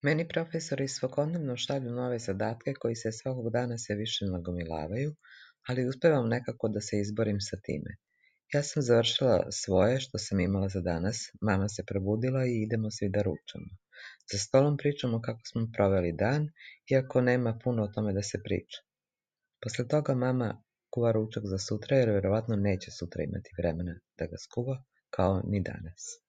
Meni profesori svakodnevno šalju nove zadatke koji se svakog dana sve više nagomilavaju, ali uspevam nekako da se izborim sa time. Ja sam završila svoje što sam imala za danas, mama se probudila i idemo svi da ručamo. Za stolom pričamo kako smo proveli dan, iako nema puno o tome da se priča. Posle toga mama kuva ručak za sutra jer verovatno neće sutra imati vremena da ga skuva, kao ni danas.